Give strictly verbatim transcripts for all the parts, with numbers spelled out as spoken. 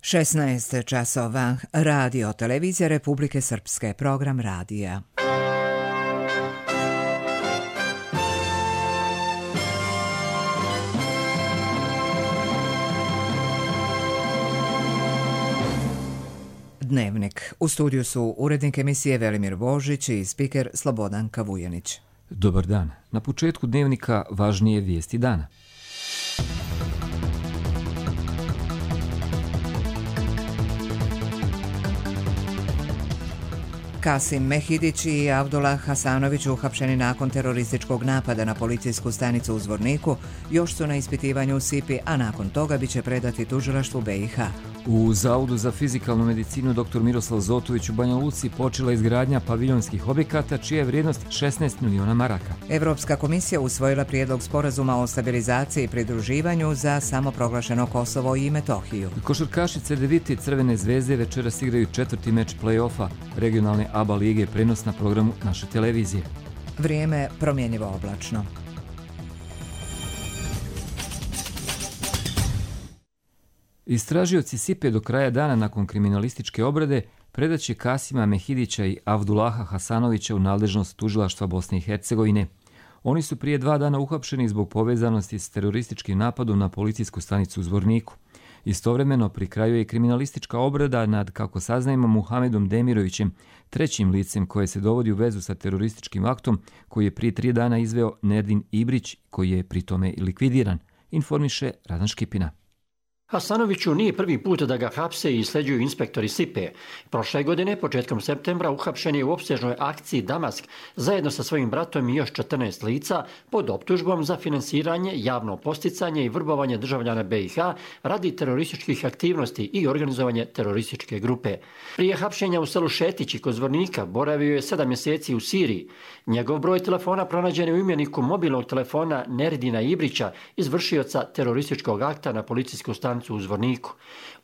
šesnaest časova. Radio Televizija Republike Srpske. Program radija. Dnevnik. U studiju su urednik emisije Velimir Božić i spiker Slobodan Kavujanić. Dobar dan. Na početku dnevnika važnije vijesti dana. Kasim Mehidić i Avdullah Hasanović, uhapšeni nakon terorističkog napada na policijsku stanicu u Zvorniku, još su na ispitivanju u Sipi, a nakon toga biće predati tužilaštvu B i H. U Zavodu za fizikalnu medicinu dr Miroslav Zotović u Banja Luci počela izgradnja paviljonskih objekata čija je vrijednost šesnaest miliona maraka. Evropska komisija usvojila prijedlog sporazuma o stabilizaciji i pridruživanju za samoproglašeno Kosovo i Metohiju. Košarkaši Cedevite i Crvene zvezde večeras igraju četvrti meč play-offa regionalne A B A lige, prenos na programu naše televizije. Vrijeme promjenjivo oblačno. Istražioci Sipe do kraja dana nakon kriminalističke obrade predaće Kasima Mehidića i Avdullaha Hasanovića u nadležnost tužilaštva Bosne i Hercegovine. Oni su prije dva dana uhapšeni zbog povezanosti s terorističkim napadom na policijsku stanicu u Zvorniku. Istovremeno pri kraju je kriminalistička obrada nad, kako saznajemo, Muhamedom Demirovićem, trećim licem koje se dovodi u vezu sa terorističkim aktom koji je prije tri dana izveo Nerdin Ibrić, koji je pri tome likvidiran, informiše Radan Škipina. Hasanoviću nije prvi put da ga hapse i sleđuju inspektori Sipe. Prošle godine, početkom septembra, uhapšen je u opsežnoj akciji Damask zajedno sa svojim bratom i još četrnaest lica pod optužbom za finansiranje, javno posticanje i vrbovanje državljana B i H radi terorističkih aktivnosti i organizovanje terorističke grupe. Prije hapšenja u selu Šetići kod Zvornika boravio je sedam mjeseci u Siriji. Njegov broj telefona pronađen je u imeniku mobilnog telefona Nerdina Ibrića, izvršioca terorističkog akta na policijsku stanicu u Zvorniku.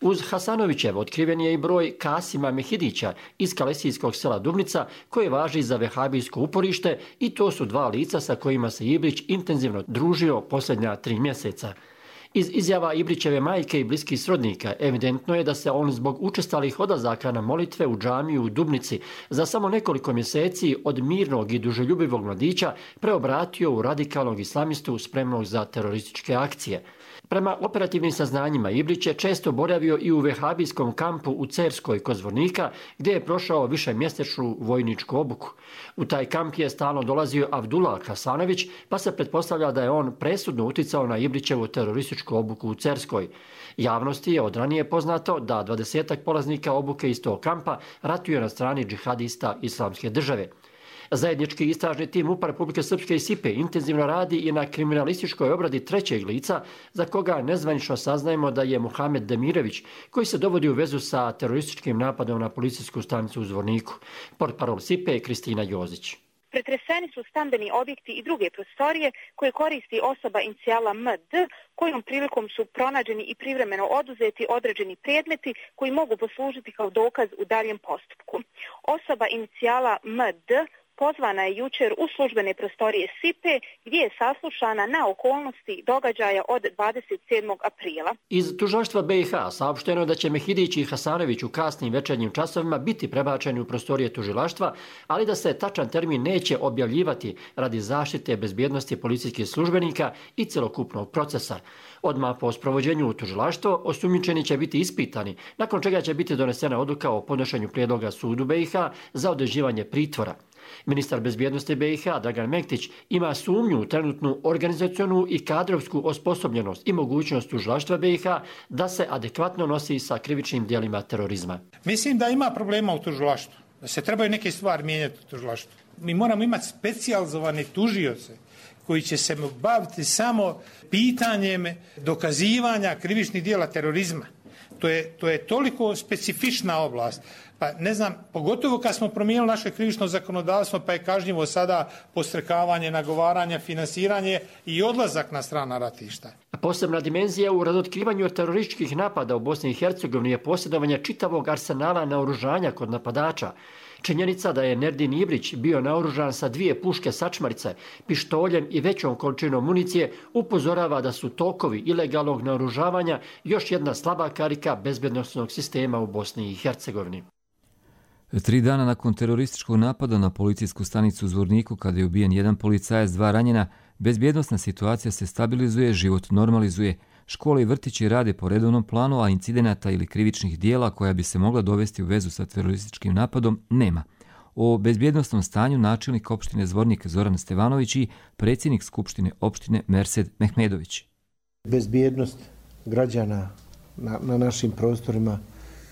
Uz Hasanovićev otkriven je i broj Kasima Mehidića iz kalesijskog sela Dubnica, koje važi za vehabijsko uporište, i to su dva lica sa kojima se Ibrić intenzivno družio posljednja tri mjeseca. Iz izjava Ibrićeve majke i bliskih srodnika evidentno je da se on zbog učestalih odlazaka na molitve u džamiju u Dubnici za samo nekoliko mjeseci od mirnog i duželjubivog mladića preobratio u radikalnog islamistu spremnog za terorističke akcije. Prema operativnim saznanjima, Ibrić je često boravio i u vehabijskom kampu u Cerskoj kod Zvornika, gdje je prošao višemjesečnu vojničku obuku. U taj kamp je stalno dolazio Avdullah Hasanović, pa se pretpostavlja da je on presudno uticao na Ibrićevu terorističku obuku u Cerskoj. Javnosti je od ranije poznato da dvadesetak polaznika obuke iz tog kampa ratuje na strani džihadista Islamske države. Zajednički istražni tim MUP-a Republike Srpske i Sipe intenzivno radi i na kriminalističkoj obradi trećeg lica, za koga nezvanično saznajemo da je Muhamed Demirović, koji se dovodi u vezu sa terorističkim napadom na policijsku stanicu u Zvorniku. Portparol Sipe je Kristina Jozić. Pretreseni su stambeni objekti i druge prostorije koje koristi osoba inicijala M D, kojom prilikom su pronađeni i privremeno oduzeti određeni predmeti koji mogu poslužiti kao dokaz u daljem postupku. Osoba inicijala M D pozvana je jučer u službene prostorije Sipe, gdje je saslušana na okolnosti događaja od dvadeset sedmog aprila. Iz tužilaštva B i H saopšteno je da će Mehidić i Hasanović u kasnim večernjim časovima biti prebačeni u prostorije tužilaštva, ali da se tačan termin neće objavljivati radi zaštite bezbjednosti policijskih službenika i celokupnog procesa. Odmah po sprovođenju u tužilaštvo osumnjičeni će biti ispitani, nakon čega će biti donesena odluka o podnošenju prijedloga sudu B i H za određivanje pritvora. Ministar bezbjednosti B i H Dragan Mektić ima sumnju u trenutnu organizacionu i kadrovsku osposobljenost i mogućnost tužilaštva B i H da se adekvatno nosi sa krivičnim djelima terorizma. Mislim da ima problema u tužilaštvu, da se trebaju neke stvari mijenjati u tužilaštvu. Mi moramo imati specijalizovane tužioce koji će se baviti samo pitanjem dokazivanja krivičnih djela terorizma. To je, to je toliko specifična oblast. Pa ne znam, pogotovo kad smo promijenili naše krivično zakonodavstvo, pa je kažnjivo sada postrekavanje, nagovaranje, finansiranje i odlazak na strana ratišta. Posebna dimenzija u razotkrivanju terorističkih napada u Bosni i Hercegovini je posjedovanje čitavog arsenala naoružanja kod napadača. Činjenica da je Nerdin Ibrić bio naoružan sa dvije puške sačmarice, pištoljem i većom količinom municije upozorava da su tokovi ilegalnog naoružavanja još jedna slaba karika bezbednosnog sistema u Bosni i Hercegovini. Tri dana nakon terorističkog napada na policijsku stanicu u Zvorniku, kada je ubijen jedan policajac, dva ranjena, bezbjednosna situacija se stabilizuje, život normalizuje. Škole i vrtići rade po redovnom planu, a incidenata ili krivičnih dijela koja bi se mogla dovesti u vezu sa terorističkim napadom nema. O bezbjednosnom stanju načelnik opštine Zvornik Zoran Stevanović i predsjednik Skupštine opštine Mersed Mehmedović. Bezbjednost građana na, na našim prostorima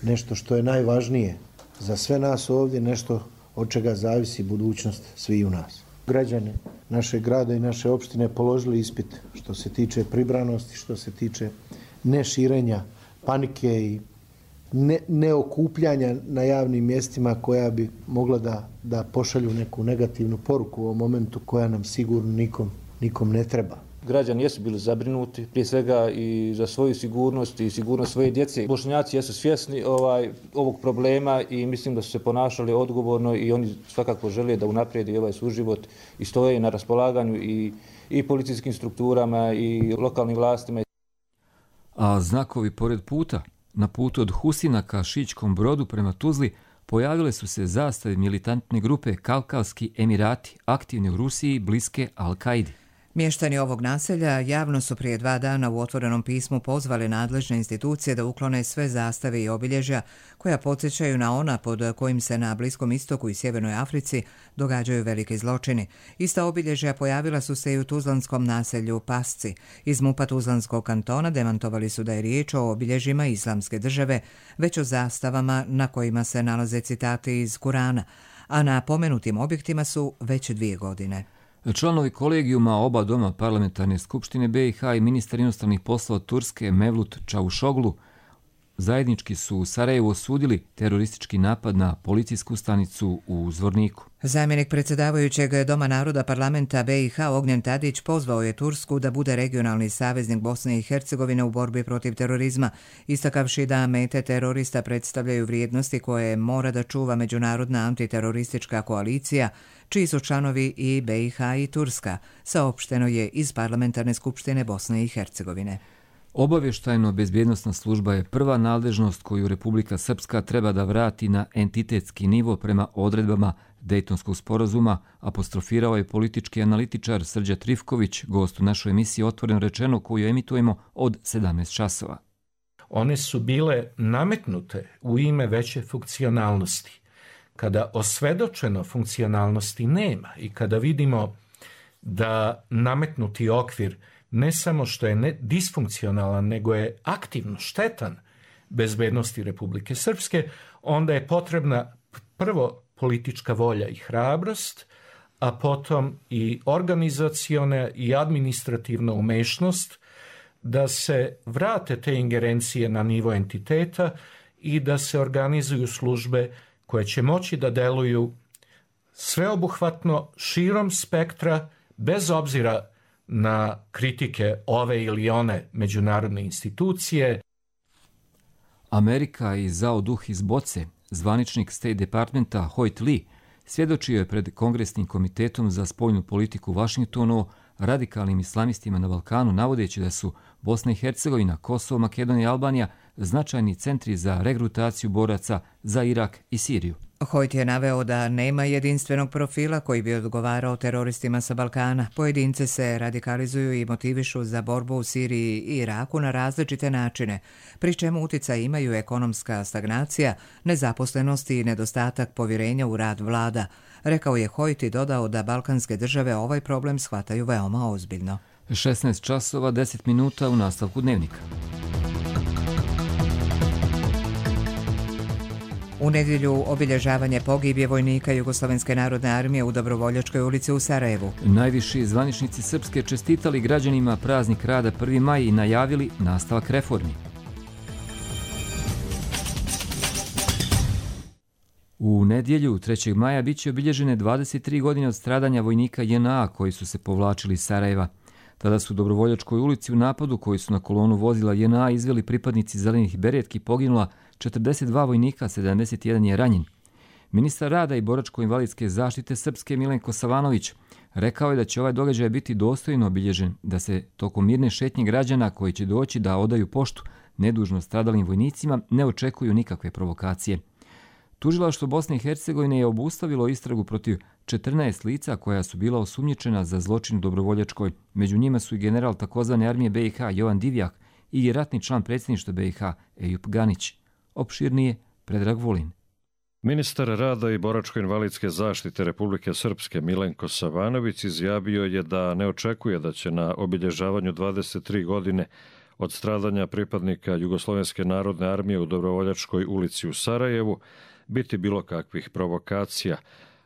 nešto što je najvažnije za sve nas ovdje, nešto od čega zavisi budućnost svih u nas. Građani našeg grada i naše opštine položili ispit što se tiče pribranosti, što se tiče neširenja panike i ne, neokupljanja na javnim mjestima koja bi mogla da, da pošalju neku negativnu poruku u ovom momentu koja nam sigurno nikom, nikom ne treba. Građani jesu bili zabrinuti, prije svega i za svoju sigurnost i sigurnost svoje djece. Bošnjaci jesu svjesni ovaj, ovog problema i mislim da su se ponašali odgovorno i oni svakako žele da unaprijede ovaj suživot i stoje na raspolaganju i, i policijskim strukturama i lokalnim vlastima. A znakovi pored puta, na putu od Husina ka Šićkom Brodu prema Tuzli, pojavile su se zastave militantne grupe Kavkavski Emirati, aktivni u Rusiji, bliske Al-Kaidi. Mještani ovog naselja javno su prije dva dana u otvorenom pismu pozvali nadležne institucije da uklone sve zastave i obilježja koja podsjećaju na ona pod kojim se na Bliskom istoku i Sjevernoj Africi događaju veliki zločini. Ista obilježja pojavila su se i u tuzlanskom naselju Pasci. Iz MUP-a Tuzlanskog kantona demantovali su da je riječ o obilježjima Islamske države, već o zastavama na kojima se nalaze citati iz Kurana, a na pomenutim objektima su već dvije godine. Članovi kolegijuma oba doma parlamentarne skupštine B i H i ministar inostranih poslova Turske Mevlut Čavušoglu zajednički su u Sarajevu osudili teroristički napad na policijsku stanicu u Zvorniku. Zamjenik predsjedavajućeg Doma naroda parlamenta B i H Ognjen Tadić pozvao je Tursku da bude regionalni saveznik Bosne i Hercegovine u borbi protiv terorizma, istakavši da mete terorista predstavljaju vrijednosti koje mora da čuva međunarodna antiteroristička koalicija, čiji su članovi i B i H i Turska, saopšteno je iz parlamentarne skupštine Bosne i Hercegovine. Obavještajno-bezbjednosna služba je prva nadležnost koju Republika Srpska treba da vrati na entitetski nivo prema odredbama Dejtonskog sporazuma, apostrofirao je politički analitičar Srđa Trifković, gost u našoj emisiji Otvoreno rečeno, koju emitujemo od sedamnaest časova. One su bile nametnute u ime veće funkcionalnosti. Kada osvedočeno funkcionalnosti nema i kada vidimo da nametnuti okvir ne samo što je ne disfunkcionalan, nego je aktivno štetan bezbednosti Republike Srpske, onda je potrebna prvo politička volja i hrabrost, a potom i organizaciona i administrativna umešnost da se vrate te ingerencije na nivo entiteta i da se organizuju službe koje će moći da deluju sveobuhvatno širom spektra, bez obzira na kritike ove ili one međunarodne institucije. Amerika i Zao Duh iz Boce, zvaničnik State Departmenta Hoyt Lee, svjedočio je pred Kongresnim komitetom za spoljnu politiku u Vašingtonu o radikalnim islamistima na Balkanu, navodeći da su Bosna i Hercegovina, Kosovo, Makedonija i Albanija značajni centri za regrutaciju boraca za Irak i Siriju. Hoyt je naveo da nema jedinstvenog profila koji bi odgovarao teroristima sa Balkana. Pojedince se radikalizuju i motivišu za borbu u Siriji i Iraku na različite načine, pri čemu uticaj imaju ekonomska stagnacija, nezaposlenost i nedostatak povjerenja u rad vlada. Rekao je Hoyt i dodao da balkanske države ovaj problem shvataju veoma ozbiljno. šesnaest časova deset minuta u nastavku dnevnika. U nedjelju obilježavanje pogibije vojnika Jugoslovenske narodne armije u Dobrovoljačkoj ulici u Sarajevu. Najviši zvaničnici Srpske čestitali građanima praznik rada prvi maj i najavili nastavak reformi. U nedjelju trećeg maja biće obilježene dvadeset tri godine od stradanja vojnika J N A koji su se povlačili iz Sarajeva. Tada su u Dobrovoljačkoj ulici u napadu koji su na kolonu vozila J N A izveli pripadnici zelenih beretki poginula četrdeset dva vojnika, sedamdeset jedan je ranjen. Ministar rada i boračko-invalidske zaštite Srpske Milenko Savanović rekao je da će ovaj događaj biti dostojno obilježen, da se tokom mirne šetnje građana koji će doći da odaju poštu nedužno stradalim vojnicima ne očekuju nikakve provokacije. Tužilaštvo Bosne i Hercegovine je obustavilo istragu protiv četrnaest lica koja su bila osumnjičena za zločin u Dobrovoljačkoj. Među njima su i general takozvane armije B i H Jovan Divjak i ratni član predsjedništva B i H Ejup Ganić. Opširnije Predrag Vulin. Ministar rada i boračko-invalidske zaštite Republike Srpske Milenko Savanović izjavio je da ne očekuje da će na obilježavanju dvadeset tri godine od stradanja pripadnika Jugoslovenske narodne armije u Dobrovoljačkoj ulici u Sarajevu biti bilo kakvih provokacija.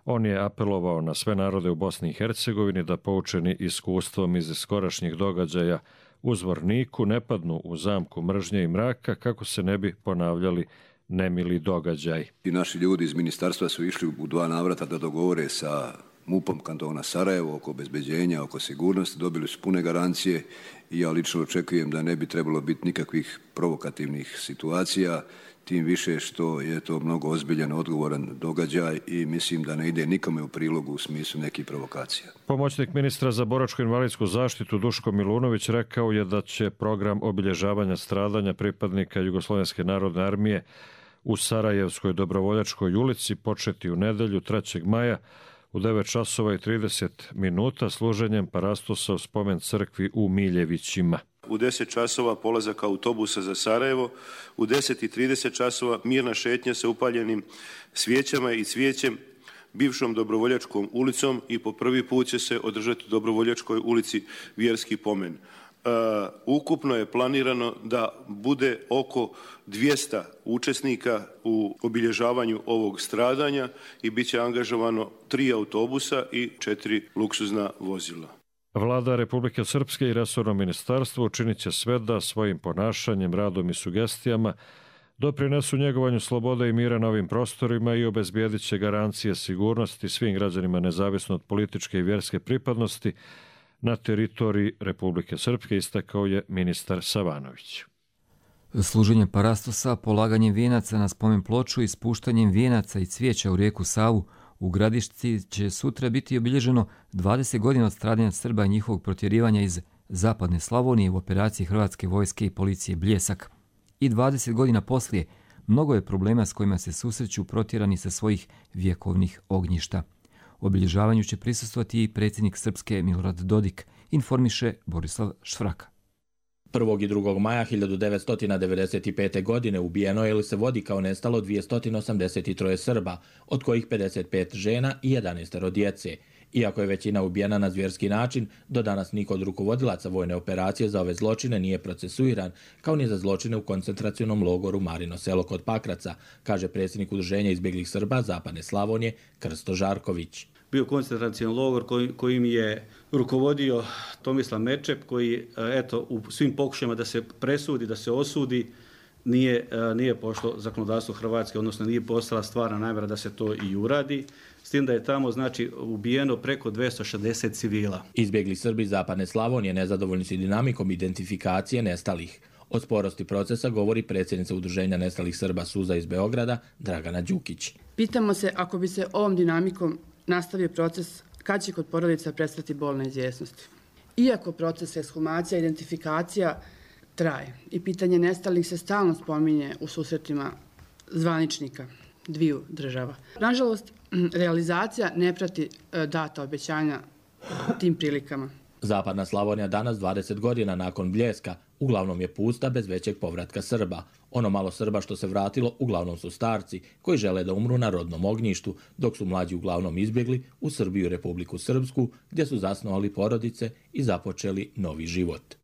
On je apelovao na sve narode u Bosni i Hercegovini da poučeni iskustvom iz skorašnjih događaja u Zvorniku ne padnu u zamku mržnje i mraka kako se ne bi ponavljali nemili događaj. I naši ljudi iz ministarstva su išli u dva navrata da dogovore sa MUP-om kantona Sarajevo oko obezbeđenja, oko sigurnosti, dobili su pune garancije i ja lično očekujem da ne bi trebalo biti nikakvih provokativnih situacija, tim više što je to mnogo ozbiljan, odgovoran događaj i mislim da ne ide nikome u prilogu u smislu nekih provokacija. Pomoćnik ministra za boračko-invalidsku zaštitu Duško Milunović rekao je da će program obilježavanja stradanja pripadnika Jugoslovenske narodne armije u Sarajevskoj Dobrovoljačkoj ulici početi u nedelju trećeg maja u devet časova i trideset minuta služenjem parastosa u spomen crkvi u Miljevićima. U deset časova polazak autobusa za Sarajevo, u deset i trideset časova mirna šetnja sa upaljenim svijećama i cvijećem bivšom Dobrovoljačkom ulicom i po prvi put će se održati u Dobrovoljačkoj ulici vjerski pomen. Uh, ukupno je planirano da bude oko dvjesto učesnika u obilježavanju ovog stradanja i bit će angažovano tri autobusa i četiri luksuzna vozila. Vlada Republike Srpske i resorno ministarstvo učinit će sve da svojim ponašanjem, radom i sugestijama doprinesu njegovanju slobode i mira na ovim prostorima i obezbijedit će garancije sigurnosti svim građanima nezavisno od političke i vjerske pripadnosti na teritoriji Republike Srpske, istakao je ministar Savanović. Služenjem parastosa, polaganjem vijenaca na spomen ploču i spuštanjem vijenaca i cvijeća u rijeku Savu u Gradišci će sutra biti obilježeno dvadeset godina od stradanja Srba i njihovog protjerivanja iz zapadne Slavonije u operaciji Hrvatske vojske i policije Bljesak. I dvadeset godina poslije mnogo je problema s kojima se susreću protjerani sa svojih vjekovnih ognjišta. Obilježavanju će prisustvovati i predsjednik Srpske Milorad Dodik, informiše Borislav Švraka. prvog i drugog maja hiljadu devetsto devedeset pete. godine ubijeno je ili se vodi kao nestalo dvjesto osamdeset tri Srba, od kojih pedeset pet žena i jedanaest djece. Iako je većina ubijena na zvjerski način, do danas niko od rukovodilaca vojne operacije za ove zločine nije procesuiran, kao ni za zločine u koncentracionom logoru Marino selo kod Pakraca, kaže predsjednik Udruženja izbjeglih Srba Zapadne Slavonije Krsto Žarković. Bio koncentracioni logor koji, kojim je rukovodio Tomislav Merčep, koji eto, u svim pokušajima da se presudi, da se osudi, nije, nije pošlo zakonodavstvo Hrvatske, odnosno nije postala stvarna namjera da se to i uradi, s tim da je tamo znači ubijeno preko dvjesto šezdeset civila. Izbjegli Srbi Zapadne Slavonije nezadovoljni su dinamikom identifikacije nestalih. O sporosti procesa govori predsjednica Udruženja nestalih Srba Suza iz Beograda Dragana Đukić. Pitamo se ako bi se ovom dinamikom nastavio proces, kad će kod porodica prestati bolna izvjesnost. Iako proces ekshumacija i identifikacija traje i pitanje nestalih se stalno spominje u susretima zvaničnika dviju država. Nažalost, realizacija ne prati data obećanja tim prilikama. Zapadna Slavonija danas, dvadeset godina nakon Bljeska, uglavnom je pusta bez većeg povratka Srba. Ono malo Srba što se vratilo uglavnom su starci koji žele da umru na rodnom ognjištu, dok su mlađi uglavnom izbjegli u Srbiju i Republiku Srpsku, gdje su zasnovali porodice i započeli novi život.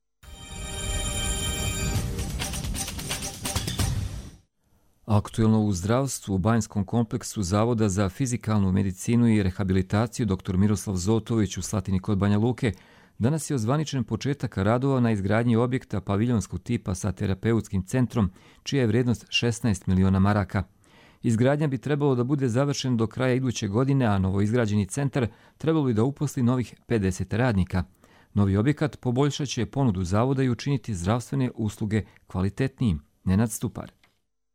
Aktuelno u zdravstvu u Banjskom kompleksu Zavoda za fizikalnu medicinu i rehabilitaciju dr. Miroslav Zotović u Slatini kod Banja Luke danas je ozvaničen početak radova na izgradnji objekta paviljonskog tipa sa terapeutskim centrom, čija je vrijednost šesnaest miliona maraka. Izgradnja bi trebalo da bude završen do kraja iduće godine, a novoizgrađeni centar trebalo bi da uposli novih pedeset radnika. Novi objekat poboljšat će ponudu zavoda i učiniti zdravstvene usluge kvalitetnijim. Nenad Stupar.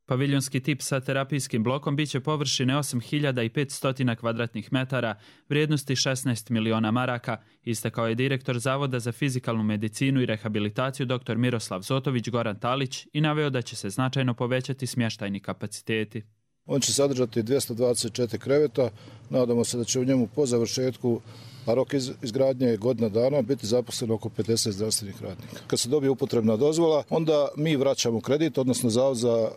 Paviljonski tip sa terapijskim blokom biće površine osam hiljada petsto kvadratnih metara, vrijednosti šesnaest miliona maraka, istakao je direktor Zavoda za fizikalnu medicinu i rehabilitaciju dr. Miroslav Zotović Goran Talić i naveo da će se značajno povećati smještajni kapaciteti. On će sadržati dvjesto dvadeset četiri kreveta, nadamo se da će u njemu po završetku, a rok izgradnje je godina dana, biti zaposleno oko pedeset zdravstvenih radnika. Kad se dobije upotrebna dozvola, onda mi vraćamo kredit, odnosno Zavod za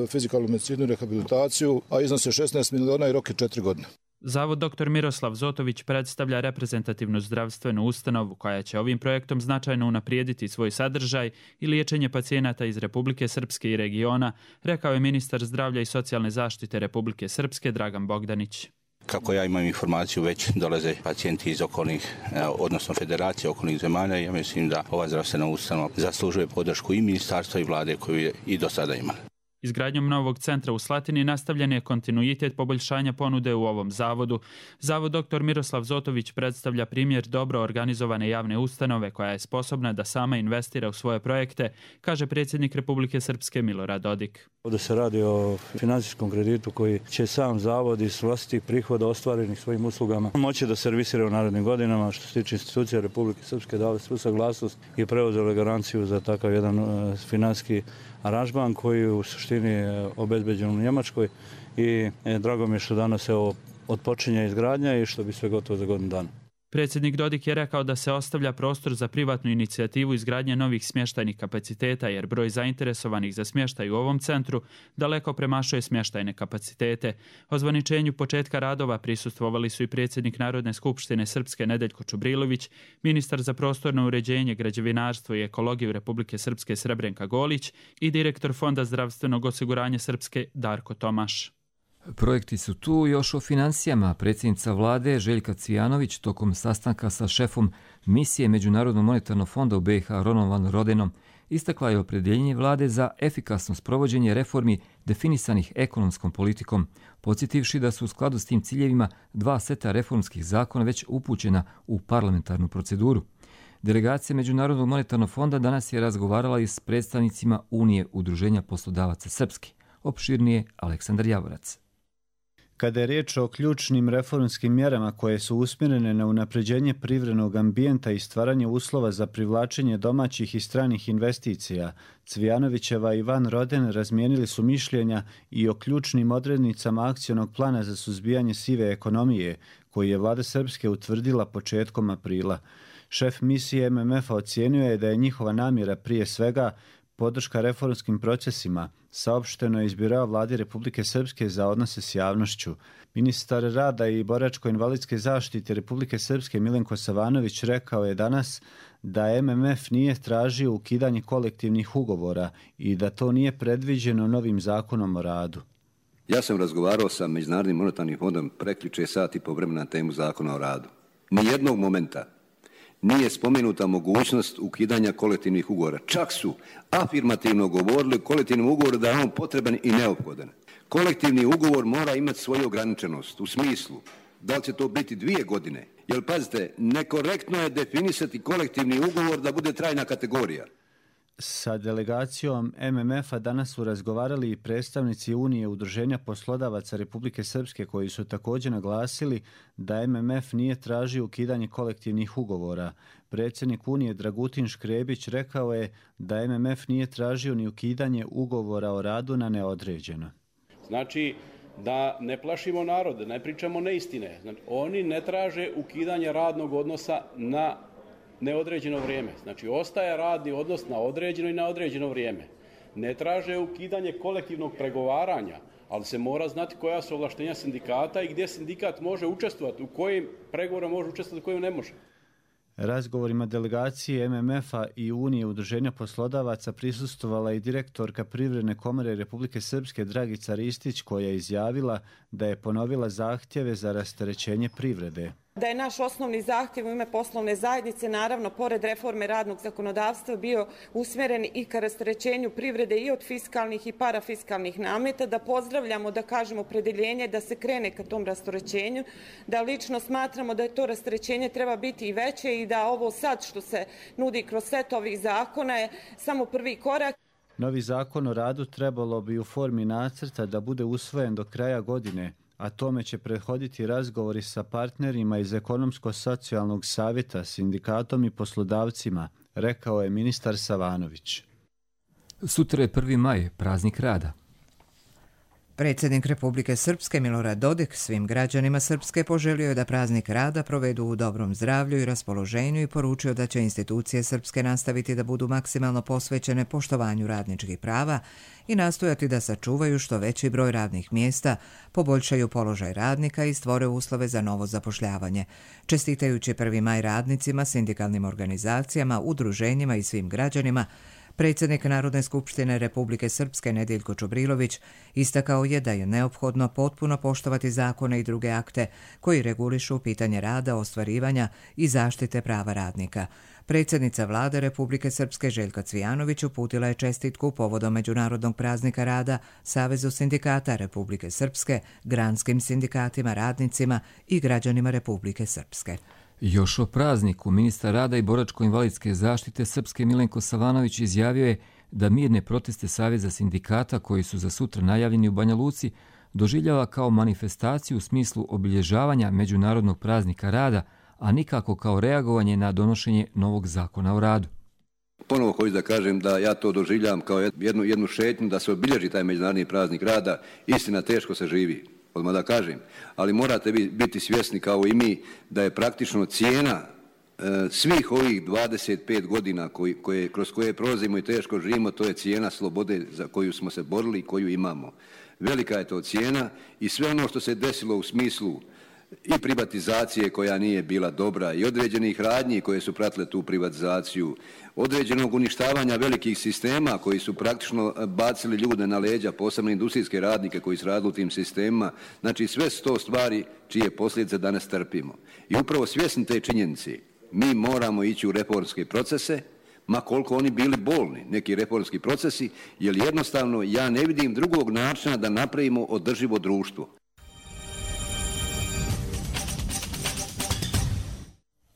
fizikalnu medicinu i rehabilitaciju, a iznos je šesnaest miliona i rok je četiri godine. Zavod dr. Miroslav Zotović predstavlja reprezentativnu zdravstvenu ustanovu koja će ovim projektom značajno unaprijediti svoj sadržaj i liječenje pacijenata iz Republike Srpske i regiona, rekao je ministar zdravlja i socijalne zaštite Republike Srpske Dragan Bogdanić. Kako ja imam informaciju, već dolaze pacijenti iz okolnih, odnosno federacije okolnih zemalja i ja mislim da ova zdravstvena ustanova zaslužuje podršku i ministarstva i vlade koju je i do sada imala. Izgradnjom novog centra u Slatini nastavljen je kontinuitet poboljšanja ponude u ovom zavodu. Zavod dr. Miroslav Zotović predstavlja primjer dobro organizovane javne ustanove koja je sposobna da sama investira u svoje projekte, kaže predsjednik Republike Srpske Milorad Dodik. Ovdje se radi o financijskom kreditu koji će sam zavod iz vlastitih prihoda ostvarenih svojim uslugama moći da servisira u narednim godinama. Što se tiče institucija Republike Srpske, dali svu saglasnost i preuzeli garanciju za takav jedan uh, financijski aranžman koji u suštini je obezbeđen u Njemačkoj i e, drago mi je što danas evo otpočinje izgradnja i što bi sve gotovo za godinu dana. Predsjednik Dodik je rekao da se ostavlja prostor za privatnu inicijativu izgradnje novih smještajnih kapaciteta jer broj zainteresovanih za smještaj u ovom centru daleko premašuje smještajne kapacitete. Ozvaničenju početka radova prisustvovali su i predsjednik Narodne skupštine Srpske Nedeljko Čubrilović, ministar za prostorno uređenje, građevinarstvo i ekologiju Republike Srpske Srebrenka Golić i direktor Fonda zdravstvenog osiguranja Srpske Darko Tomaš. Projekti su tu. Još o financijama. Predsjednica vlade Željka Cvijanović tokom sastanka sa šefom misije Međunarodnog monetarnog fonda u B i H Ronom van Rodenom istakla je opredjeljenje vlade za efikasno sprovođenje reformi definisanih ekonomskom politikom, podsjetivši da su u skladu s tim ciljevima dva seta reformskih zakona već upućena u parlamentarnu proceduru. Delegacija Međunarodnog monetarnog fonda danas je razgovarala i s predstavnicima Unije udruženja poslodavaca Srpske. Opširnije Aleksandar Javorac. Kada je riječ o ključnim reformskim mjerama koje su usmjerene na unapređenje privrednog ambijenta i stvaranje uslova za privlačenje domaćih i stranih investicija, Cvijanovićeva i Van Roden razmijenili su mišljenja i o ključnim odrednicama akcionog plana za suzbijanje sive ekonomije, koji je vlada Srpske utvrdila početkom aprila. Šef misije M M F-a ocijenio je da je njihova namjera prije svega podrška reformskim procesima, saopšteno je iz Biroa vlade Republike Srpske za odnose s javnošću. Ministar rada i boračko-invalidske zaštite Republike Srpske Milenko Savanović rekao je danas da M M F nije tražio ukidanje kolektivnih ugovora i da to nije predviđeno novim zakonom o radu. Ja sam razgovarao sa Međunarodnim monetarnim fondom prekjuče sati po vremena na temu zakona o radu. Nijednog momenta nije spomenuta mogućnost ukidanja kolektivnih ugovora. Čak su afirmativno govorili o kolektivnom ugovoru da je on potreban i neophodan. Kolektivni ugovor mora imati svoju ograničenost u smislu da li će to biti dvije godine. Jer pazite, nekorektno je definisati kolektivni ugovor da bude trajna kategorija. Sa delegacijom M M F-a danas su razgovarali i predstavnici Unije udruženja poslodavaca Republike Srpske koji su također naglasili da M M F nije tražio ukidanje kolektivnih ugovora. Predsjednik Unije Dragutin Škrebić rekao je da M M F nije tražio ni ukidanje ugovora o radu na neodređeno. Znači da ne plašimo narod, da ne pričamo neistine. Znači, oni ne traže ukidanje radnog odnosa na neodređeno vrijeme. Znači, ostaje radni odnos na određeno i na određeno vrijeme. Ne traže ukidanje kolektivnog pregovaranja, ali se mora znati koja su ovlaštenja sindikata i gdje sindikat može učestvovati, u kojim pregovorima može učestvovati, u kojim ne može. Razgovorima delegacije M M F-a i Unije udruženja poslodavaca prisustvovala i direktorka Privredne komore Republike Srpske Dragica Ristić koja je izjavila da je ponovila zahtjeve za rasterećenje privrede. Da je naš osnovni zahtjev u ime poslovne zajednice, naravno, pored reforme radnog zakonodavstva, bio usmjeren i ka rasterećenju privrede i od fiskalnih i parafiskalnih nameta, da pozdravljamo, da kažemo, opredeljenje da se krene ka tom rasterećenju, da lično smatramo da je to rasterećenje treba biti i veće i da ovo sad što se nudi kroz set ovih zakona je samo prvi korak. Novi zakon o radu trebalo bi u formi nacrta da bude usvojen do kraja godine, a tome će prethoditi razgovori sa partnerima iz Ekonomsko-socijalnog savjeta, sindikatom i poslodavcima, rekao je ministar Savanović. Sutra je prvi maj, praznik rada. Predsjednik Republike Srpske Milorad Dodik svim građanima Srpske poželio je da praznik rada provedu u dobrom zdravlju i raspoloženju i poručio da će institucije Srpske nastaviti da budu maksimalno posvećene poštovanju radničkih prava i nastojati da sačuvaju što veći broj radnih mjesta, poboljšaju položaj radnika i stvore uslove za novo zapošljavanje. Čestitajući prvi maj radnicima, sindikalnim organizacijama, udruženjima i svim građanima, predsjednik Narodne skupštine Republike Srpske Nediljko Čubrilović istakao je da je neophodno potpuno poštovati zakone i druge akte koji regulišu pitanje rada, ostvarivanja i zaštite prava radnika. Predsjednica Vlade Republike Srpske Željka Cvijanović uputila je čestitku povodom Međunarodnog praznika rada Savezu sindikata Republike Srpske, granskim sindikatima, radnicima i građanima Republike Srpske. Još o prazniku ministar rada i boračko-invalidske zaštite Srpske Milenko Savanović izjavio je da mirne proteste Saveza sindikata koji su za sutra najavljeni u Banja Luci doživljava kao manifestaciju u smislu obilježavanja Međunarodnog praznika rada, a nikako kao reagovanje na donošenje novog zakona o radu. Ponovo hoću da kažem da ja to doživljavam kao jednu, jednu šetnju da se obilježi taj Međunarodni praznik rada. Istina, teško se živi, odmah da kažem, ali morate biti svjesni kao i mi da je praktično cijena e, svih ovih dvadeset pet godina koji, koje, kroz koje prolazimo i teško živimo, to je cijena slobode za koju smo se borili i koju imamo. Velika je to cijena i sve ono što se desilo u smislu i privatizacije koja nije bila dobra i određenih radnji koje su pratile tu privatizaciju, određenog uništavanja velikih sistema koji su praktično bacili ljude na leđa, posebno industrijske radnike koji su radili u tim sistemima. Znači sve su to stvari čije posljedice danas trpimo. I upravo svjesni te činjenice mi moramo ići u reformske procese, ma koliko oni bili bolni, neki reformski procesi, jer jednostavno ja ne vidim drugog načina da napravimo održivo društvo.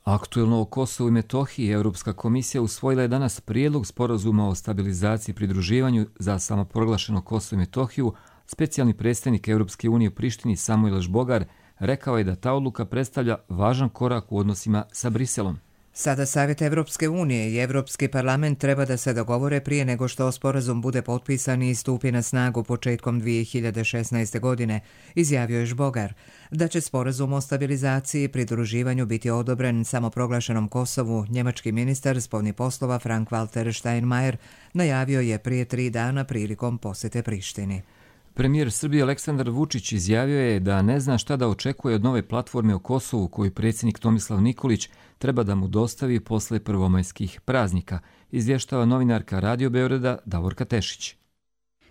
Aktuelno o Kosovu i Metohiji Europska komisija usvojila je danas prijedlog sporazuma o stabilizaciji i pridruživanju za samoproglašeno Kosovo i Metohiju. Specijalni predstavnik Europske unije u Prištini Samuel Žbogar rekao je da ta odluka predstavlja važan korak u odnosima sa Briselom. Sada Savjet Evropske unije i Evropski parlament treba da se dogovore prije nego što sporazum bude potpisan i stupi na snagu početkom dvije hiljade šesnaeste. godine, izjavio je Žbogar. Da će sporazum o stabilizaciji i pridruživanju biti odobren samoproglašenom Kosovu, njemački ministar spoljnih poslova Frank-Walter Steinmeier najavio je prije tri dana prilikom posjete Prištini. Premijer Srbije Aleksandar Vučić izjavio je da ne zna šta da očekuje od nove platforme o Kosovu koju predsjednik Tomislav Nikolić treba da mu dostavi posle prvomajskih praznika, izvještava novinarka Radio Beograda Davorka Tešić.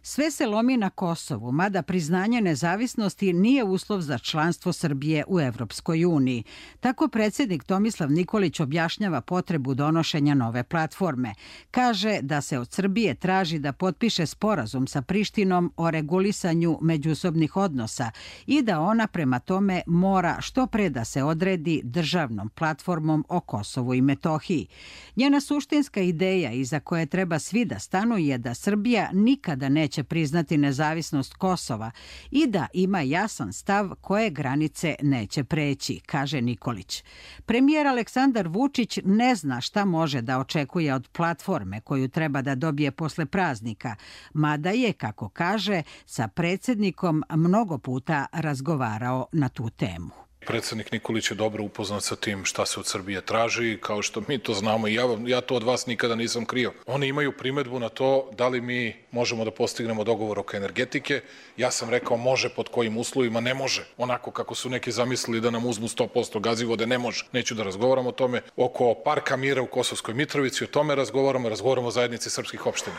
Sve se lomi na Kosovu, mada priznanje nezavisnosti nije uslov za članstvo Srbije u Evropskoj uniji. Tako predsjednik Tomislav Nikolić objašnjava potrebu donošenja nove platforme. Kaže da se od Srbije traži da potpiše sporazum sa Prištinom o regulisanju međusobnih odnosa i da ona prema tome mora što pre da se odredi državnom platformom o Kosovu i Metohiji. Njena suštinska ideja iza koje treba svi da stanu je da Srbija nikada neće će priznati nezavisnost Kosova i da ima jasan stav koje granice neće preći, kaže Nikolić. Premijer Aleksandar Vučić ne zna šta može da očekuje od platforme koju treba da dobije posle praznika, mada je, kako kaže, sa predsjednikom mnogo puta razgovarao na tu temu. Predsjednik Nikolić je dobro upoznat sa tim šta se od Srbije traži, kao što mi to znamo i ja, ja to od vas nikada nisam krio. Oni imaju primedbu na to da li mi možemo da postignemo dogovor oko energetike. Ja sam rekao može pod kojim uslovima, ne može. Onako kako su neki zamislili da nam uzmu sto posto gazivode, ne može. Neću da razgovaram o tome. Oko Parka mira u Kosovskoj Mitrovici, o tome razgovaramo, razgovaramo o zajednici srpskih opština.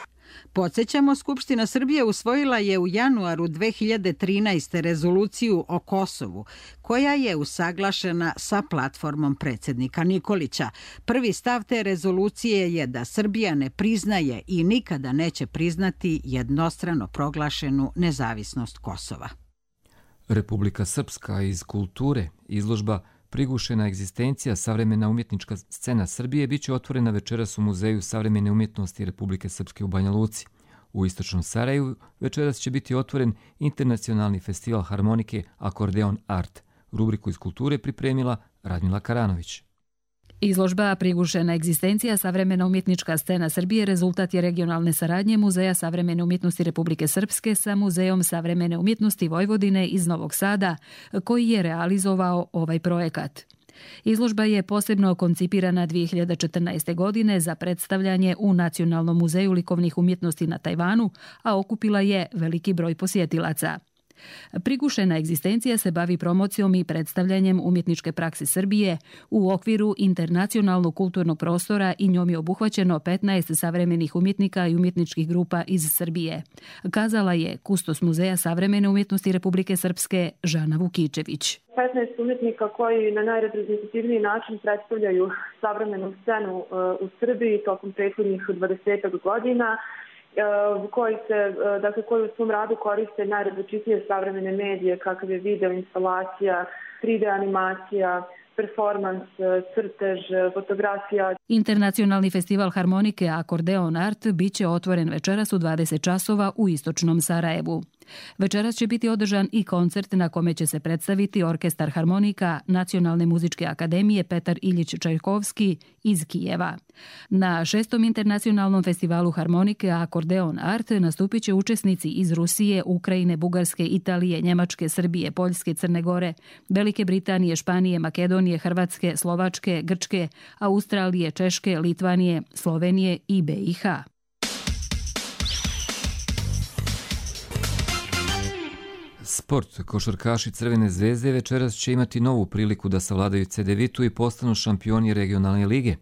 Podsjećamo, Skupština Srbije usvojila je u januaru dve hiljade trinaeste. rezoluciju o Kosovu, koja je usaglašena sa platformom predsjednika Nikolića. Prvi stav te rezolucije je da Srbija ne priznaje i nikada neće priznati jednostrano proglašenu nezavisnost Kosova. Republika Srpska iz kulture, izložba Prigušena egzistencija, savremena umjetnička scena Srbije bit će otvorena večeras u Muzeju savremene umjetnosti Republike Srpske u Banja Luci. U istočnom Sarajevu večeras će biti otvoren internacionalni festival harmonike Akordeon Art. Rubriku iz kulture pripremila Radmila Karanović. Izložba Prigušena egzistencija, savremena umjetnička scena Srbije rezultat je regionalne saradnje Muzeja savremene umjetnosti Republike Srpske sa Muzejom savremene umjetnosti Vojvodine iz Novog Sada, koji je realizovao ovaj projekat. Izložba je posebno koncipirana dvije hiljade četrnaeste. godine za predstavljanje u Nacionalnom muzeju likovnih umjetnosti na Tajvanu, a okupila je veliki broj posjetilaca. Prigušena egzistencija se bavi promocijom i predstavljanjem umjetničke prakse Srbije u okviru internacionalnog kulturnog prostora i njom je obuhvaćeno petnaest savremenih umjetnika i umjetničkih grupa iz Srbije, kazala je kustos Muzeja savremene umjetnosti Republike Srpske Žana Vukičević. petnaest umjetnika koji na najreprezentativniji način predstavljaju savremenu scenu u Srbiji tokom prethodnih dvadesetak godina, koji se, dakle, koji u svom radu koriste najrazličitije savremene medije, kakav je video instalacija, tri D animacija, performans, crtež, fotografija. Internacionalni festival harmonike Akordeon Art bit će otvoren večeras u dvadeset časova u istočnom Sarajevu. Večeras će biti održan i koncert na kome će se predstaviti orkestar harmonika Nacionalne muzičke akademije Petar Iljić Čajkovski iz Kijeva. Na šestom internacionalnom festivalu harmonike Akordeon Art nastupit će učesnici iz Rusije, Ukrajine, Bugarske, Italije, Njemačke, Srbije, Poljske, Crne Gore, Velike Britanije, Španije, Makedonije, Hrvatske, Slovačke, Grčke, Australije, Češke, Litvanije, Slovenije i B i H. Sport. Košarkaši Crvene zvezde večeras će imati novu priliku da savladaju Cedevitu i postanu šampioni regionalne lige.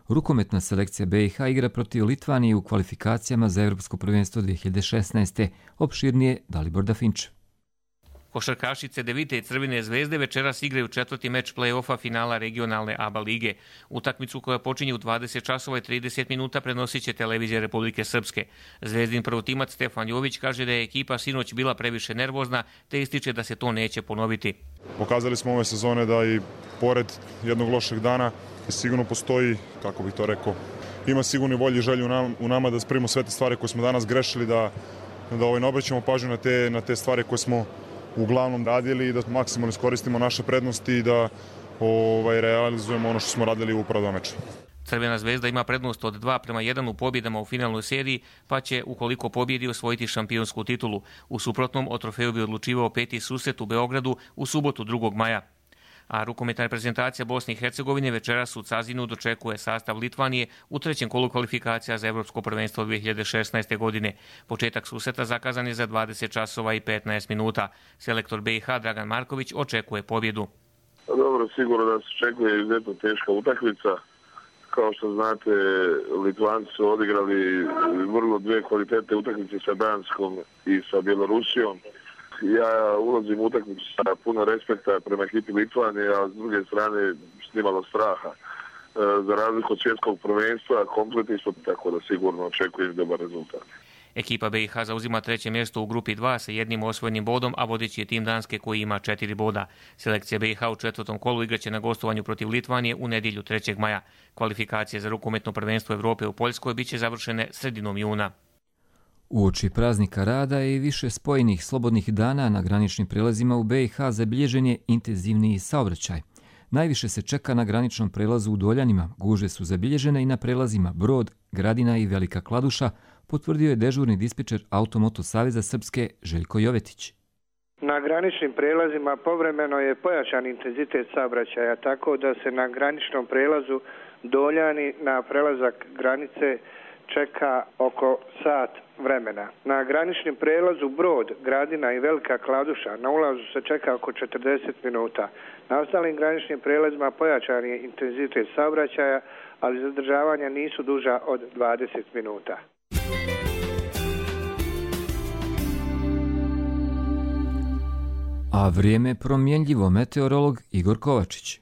Rukometna selekcija B i H igra protiv Litvanije u kvalifikacijama za Evropsko prvenstvo dvije hiljade šesnaeste. Opširnije Dalibor Dafinč. Košarkaši Cedevite i Crvene zvezde večeras igraju četvrti meč play-offa finala regionalne A B A lige. Utakmicu koja počinje u dvadeset časova i trideset minuta prenosit će televizija Republike Srpske. Zvezdin prvotimac Stefan Jović kaže da je ekipa sinoć bila previše nervozna, te ističe da se to neće ponoviti. Pokazali smo ove sezone da i pored jednog lošeg dana sigurno postoji, kako bih to rekao, ima sigurno volju i želju u nama da spremimo sve te stvari koje smo danas grešili, da, da ovaj, ne obraćamo pažnju na te, na te stvari koje smo uglavnom radili i da maksimalno iskoristimo naše prednosti i da ovaj, realizujemo ono što smo radili u prva dva meča. Crvena zvezda ima prednost od dva prema jedan u pobjedama u finalnoj seriji, pa će, ukoliko pobjedi, osvojiti šampionsku titulu. U suprotnom, o trofeju bi odlučivao peti susret u Beogradu u subotu drugog maja. A rukometna reprezentacija Bosne i Hercegovine večeras u Cazinu dočekuje sastav Litvanije u trećem kolu kvalifikacija za Evropsko prvenstvo dvije hiljade šesnaeste. godine. Početak susreta zakazan je za dvadeset časova i petnaest minuta. Selektor B i H Dragan Marković očekuje pobjedu. Dobro, sigurno da se očekuje izuzetno teška utakmica. Kao što znate, Litvanci su odigrali vrlo dvije kvalitetne utakmice sa Danskom i sa Bjelorusijom. Ja ulazim u utakmicu sa puno respekta prema ekipi Litvanije, a s druge strane snimalo straha. Za razliku od svjetskog prvenstva, kompletni smo, tako da sigurno očekujem dobar rezultat. Ekipa B i H zauzima treće mjesto u grupi dva sa jednim osvojenim bodom, a vodeći je tim Danske koji ima četiri boda. Selekcija B i H u četvrtom kolu igraće na gostovanju protiv Litvanije u nedjelju trećeg maja. Kvalifikacije za rukometno prvenstvo Evrope u Poljskoj biće završene sredinom juna. Uoči praznika rada i više spojenih slobodnih dana na graničnim prelazima u B i H zabilježen je intenzivniji saobraćaj. Najviše se čeka na graničnom prelazu u Doljanima, gužve su zabilježene i na prelazima Brod, Gradina i Velika Kladuša, potvrdio je dežurni dispečer Automoto Saveza Srpske Željko Jovetić. Na graničnim prelazima povremeno je pojačan intenzitet saobraćaja, tako da se na graničnom prelazu Doljani na prelazak granice čeka oko sat vremena. Na graničnim prelazu Brod, Gradina i Velika Kladuša na ulazu se čeka oko četrdeset minuta. Na ostalim graničnim prelazima pojačan je intenzitet saobraćaja, ali zadržavanja nisu duža od dvadeset minuta. A vrijeme promjenljivo, meteorolog Igor Kovačić.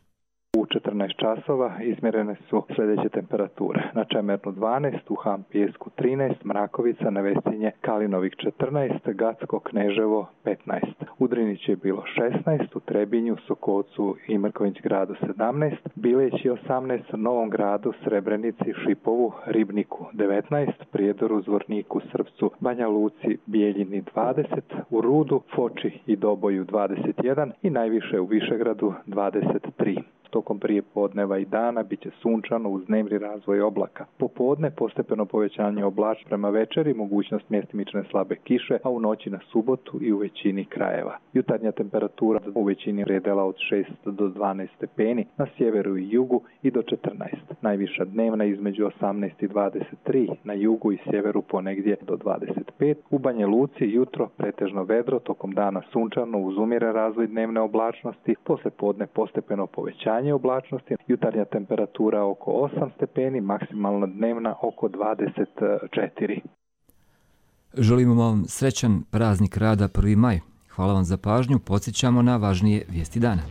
U četrnaest časova izmjerene su sljedeće temperature. Na Čemernu dvanaest, u Han Pijesku trinaest, Mrakovica, Nevesinje, Kalinovik četrnaest, Gacko, Kneževo petnaest. U Drinići je bilo šesnaest, u Trebinju, Sokolcu i Mrković gradu sedamnaest, Bileći osamnaest, Novom gradu, Srebrenici, Šipovu, Ribniku devetnaest, Prijedoru, Zvorniku, Srpcu, Banja Luci, Bijeljini dvadeset, u Rudu, Foči i Doboju dvadeset jedan i najviše u Višegradu dvadeset tri. Tokom prije podneva i dana bit će sunčano uz dnevni razvoj oblaka. Popodne postepeno povećanje oblačnosti, prema večeri mogućnost mjestimične slabe kiše, a u noći na subotu i u većini krajeva. Jutarnja temperatura u većini predela od šest do dvanaest stepeni, na sjeveru i jugu i do četrnaest. Najviša dnevna između osamnaest i dvadeset tri, na jugu i sjeveru ponegdje do dvadeset pet. U Banja Luci jutro pretežno vedro, tokom dana sunčano uz umjeren razvoj dnevne oblačnosti, poslije podne postepeno povećanje oblačnosti, jutarnja temperatura oko osam stepeni, maksimalna dnevna oko dvadeset četiri. Želimo vam srećan praznik rada prvi maj. Hvala vam za pažnju, podsjećamo na važnije vijesti dana.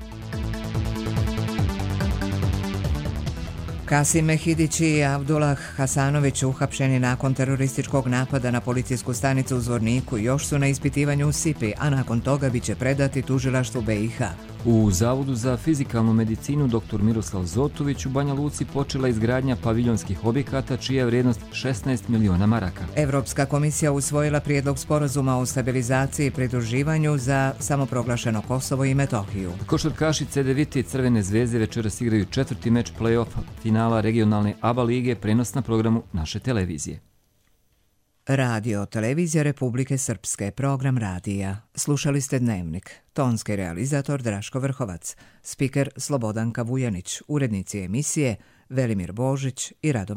Kasim Mehidić i Avdullah Hasanović uhapšeni nakon terorističkog napada na policijsku stanicu u Zvorniku još su na ispitivanju u S I P I, a nakon toga biće predati tužilaštvu B i H. U Zavodu za fizikalnu medicinu dr. Miroslav Zotović u Banja Luci počela izgradnja paviljonskih objekata čija je vrijednost šesnaest miliona maraka. Evropska komisija usvojila prijedlog sporazuma o stabilizaciji i pridruživanju za samoproglašeno Kosovo i Metohiju. Košarkaši Cedevite i Crvene zvezde večeras igraju četvrti meč play-offa finala regionalne A B A lige, prenos na programu naše televizije. Radio Televizija Republike Srpske, program radija. Slušali ste Dnevnik. Tonski realizator Draško Vrhovac, spiker Slobodanka Vujanić, urednici emisije Velimir Božić i Radovan